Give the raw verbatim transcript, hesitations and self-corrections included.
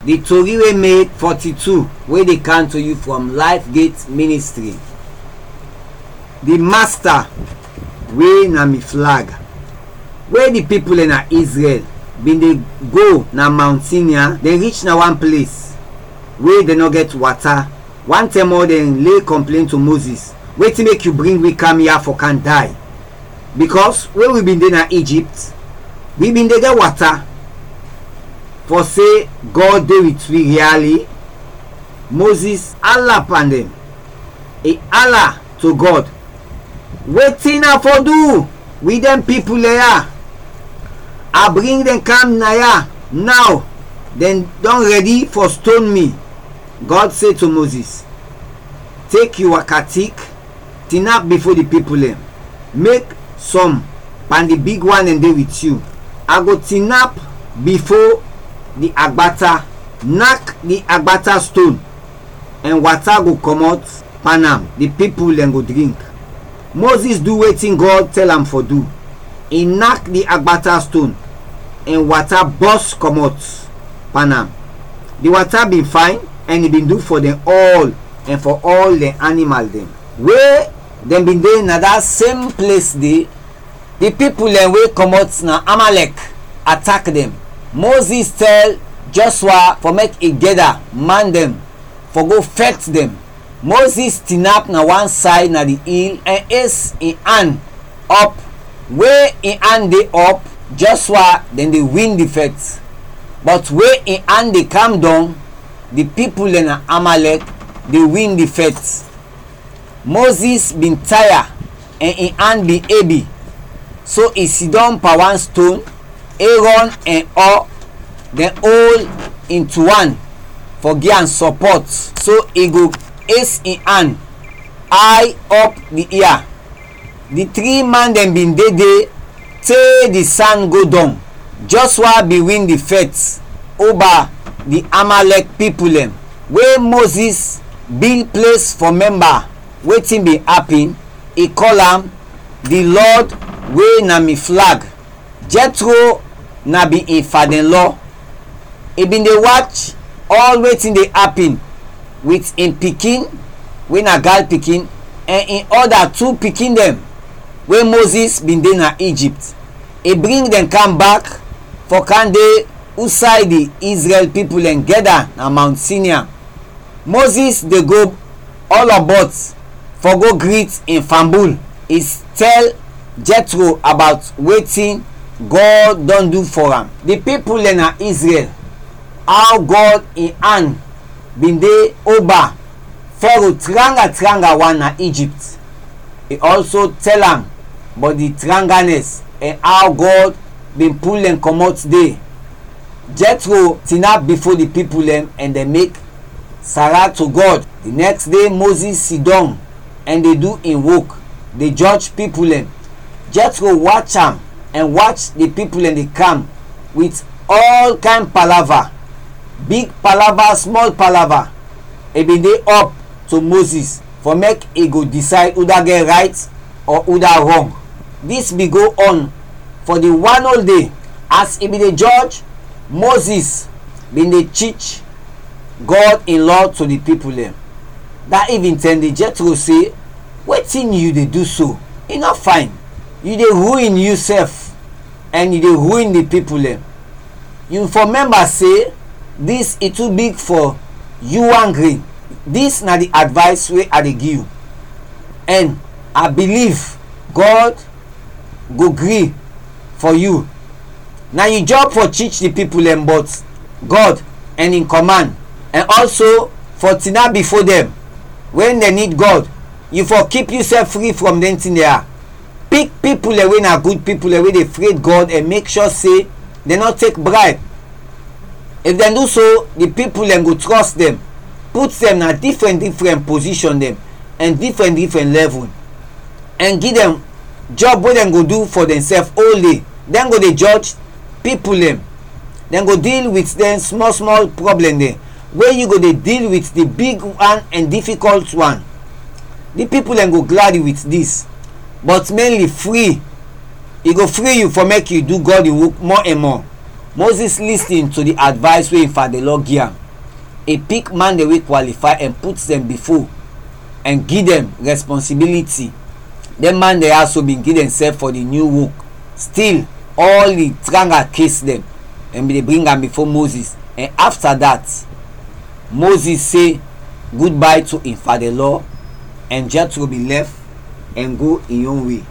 Di tori wey made forty-two wey dey come to you from Life Gate Ministry. Di Masta wey na mi flag. Wey di pipul dɛn na Israel bin dey go na Mount Sinai, dɛn rich na wan ples wey dɛn nɔ gɛt wata. Wan tɛm ɔl dɛn lay kɔmplen to Moses, "Wetin mek yu bring wi kam ya fɔ kam day? Bikɔs we wi bin de na Egypt, wi bin de gɛt wata." Fɔ se Gɔd de wit wi riali, Moses ala pan dɛn. I ala to Gɔd, "Wetin a fɔ du wit dɛn pipul dɛn ya? A bring dɛn kam na ya naw, dɛn dɔn rɛdi fɔ ston mi." Gɔd se to Moses, "Tek yu waka tik, tinap bifo di pipul dɛn, mek sɔm pan di big wan dɛn de wit yu. A go tinap bifo di agbata, nak di agbata ston, ɛn wata go kɔmɔt pan am, di pipul dɛn go drink." Moses du wetin Gɔd tɛl am fɔ du. I nak di agbata ston, ɛn wata bɔs kɔmɔt pan am. Di wata bin fayn, ɛn i bin du fɔ dɛn ɔl ɛn fɔ ɔl dɛn animal dɛn. We dɛn bin de na da sem ples de, di pipul dɛn we kɔmɔt na Amalɛk atak dɛn. Moses tɛl Jɔshua fɔ mek i gɛda man dɛn fɔ go fɛt dɛn. Moses tinap na wan say na di il ɛn es in an ɔp. We in an de ɔp, Jɔshua dɛn de win di fɛt, bɔt we in an de kam dɔng, di pipul dɛn na Amalɛk de win di fɛt. Moses bin taya ɛn in an bin ebi, so i sidɔm pan wan ston. Erɔn ɛn Ɔ dɛn ol in tu an fɔ gi am sɔpɔt, so i go es in an ay ɔp di ia. Di tri man dɛn bin de de te di san go dɔng. Jɔshua bin win di fɛt oba di Amalɛk pipul dɛn. We Moses bil ples fɔ mɛmba wetin bin apin, i kɔl am, "Di Lɔd we na mi flag." Jɛtro na bin in fadɛnlɔ. I bin de wach ɔl wetin de apin wit in pikin we na gal pikin ɛn in ɔda tu pikin dɛn we Moses bin de na Egypt. I bring dɛn kam bak fɔ kam de usay di Izrɛl pipul dɛn gɛda na Mount Sinai. Moses de go ɔlɔbɔt fɔ go grit in fambul. I tɛl Jɛtro abawt wetin Gɔd dɔn du fɔ am. Di pipul dɛn na Izrɛl, aw Gɔd in an bin de oba Fɛro tranga tranga wan na Egypt. I ɔlso tɛl am bɔt di tranganɛs ɛn aw Gɔd bin pul dɛn kɔmɔt de. Jɛtro tinap bifo di pipul dɛn ɛn dɛn mek sara to Gɔd. Di nɛks de Moses sidɔm ɛn de du in wok, de jɔj pipul dɛn. Jɛtro wach am ɛn wach di pipul dɛn de kam wit ɔl kayn palava, big palava, smɔl palava. I bin de ɔp to Moses fɔ mek i go disayd uda gɛt rayt ɔ uda rɔng. Dis bin go ɔn fɔ di wan ol de. As i bin de jɔj, Moses bin de tich Gɔd in lɔ to di pipul dɛn. Da ivintɛm de Jɛtro se, "Wetin yu de du so? I nɔ fayn. Yu de ruin yusɛf ɛn yu de ruin di pipul dɛn. Yu fɔ mɛmba se dis i tu big fɔ yu wan grin. Dis na di advays we a de gi yu, ɛn a biliv Gɔd go gri fɔ yu. Na yu jɔb fɔ tich di pipul dɛn bɔt Gɔd ɛn in kɔman, ɛn ɔlso fɔ tinap bifo dɛn. Wɛn dɛn nid Gɔd, yu fɔ kip yusɛf fri frɔm dɛn tin de ya. Pik pipul dɛn we na gud pipul dɛn we de fred Gɔd ɛn mek sure se dɛn nɔ tek brayb. If dɛn du so, di pipul dɛn go trɔst dɛn, put dɛn na difrɛn difrɛn pozishɔn dɛn ɛn difrɛn difrɛn lɛvul, ɛn gi dɛn jɔb we dɛn go du fɔ dɛnsɛf ol de. Dɛn go de jɔj pipul dɛn. Dɛn go dil wit dɛn smɔl smɔl pwoblɛm dɛn, we yu go de dil wit di big wan ɛn difikɔlt wan." Di pipul dɛn go gladi wit dis, bɔt mɛnli fri, i go fri yu fɔ mek yu du Gɔd in wok mɔ ɛn mɔ. Moses lis ten to di advice wey im fada-in-law gi am. I pik man dɛn wey kwalifay ɛn put dɛn bifo ɛn gi dɛn responsibiliti. Dɛn man dɛn ya so bin gi dɛnsɛf fɔ di nyu wok. Stil, ɔl di tranga kes dɛn, dɛn bin de bring am bifo Moses, ɛn afta dat, Moses se gudbay to in fada-in-law, ɛn Jethro bin lɛf ɛn go in yon we.